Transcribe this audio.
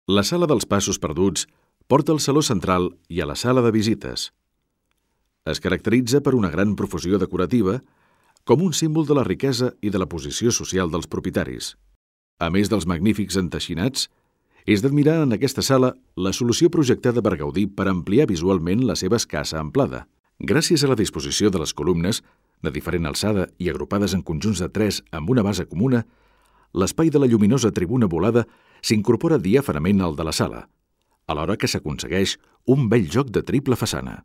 La sala dels passos perduts porta al saló central i a la sala de visites. Es caracteritza per una gran profusió decorativa, com un símbol de la riquesa i de la posició social dels propietaris. A més dels magnífics enteixinats, és d'admirar en aquesta sala la solució projectada per Gaudí per ampliar visualment la seva escassa amplada. Gràcies a la disposició de les columnes, de diferent alçada i agrupades en conjunts de 3 amb una base comuna, l'espai de la lluminosa tribuna volada s'incorpora diàfanament al de la sala, alhora que s'aconsegueix un bell joc de triple façana.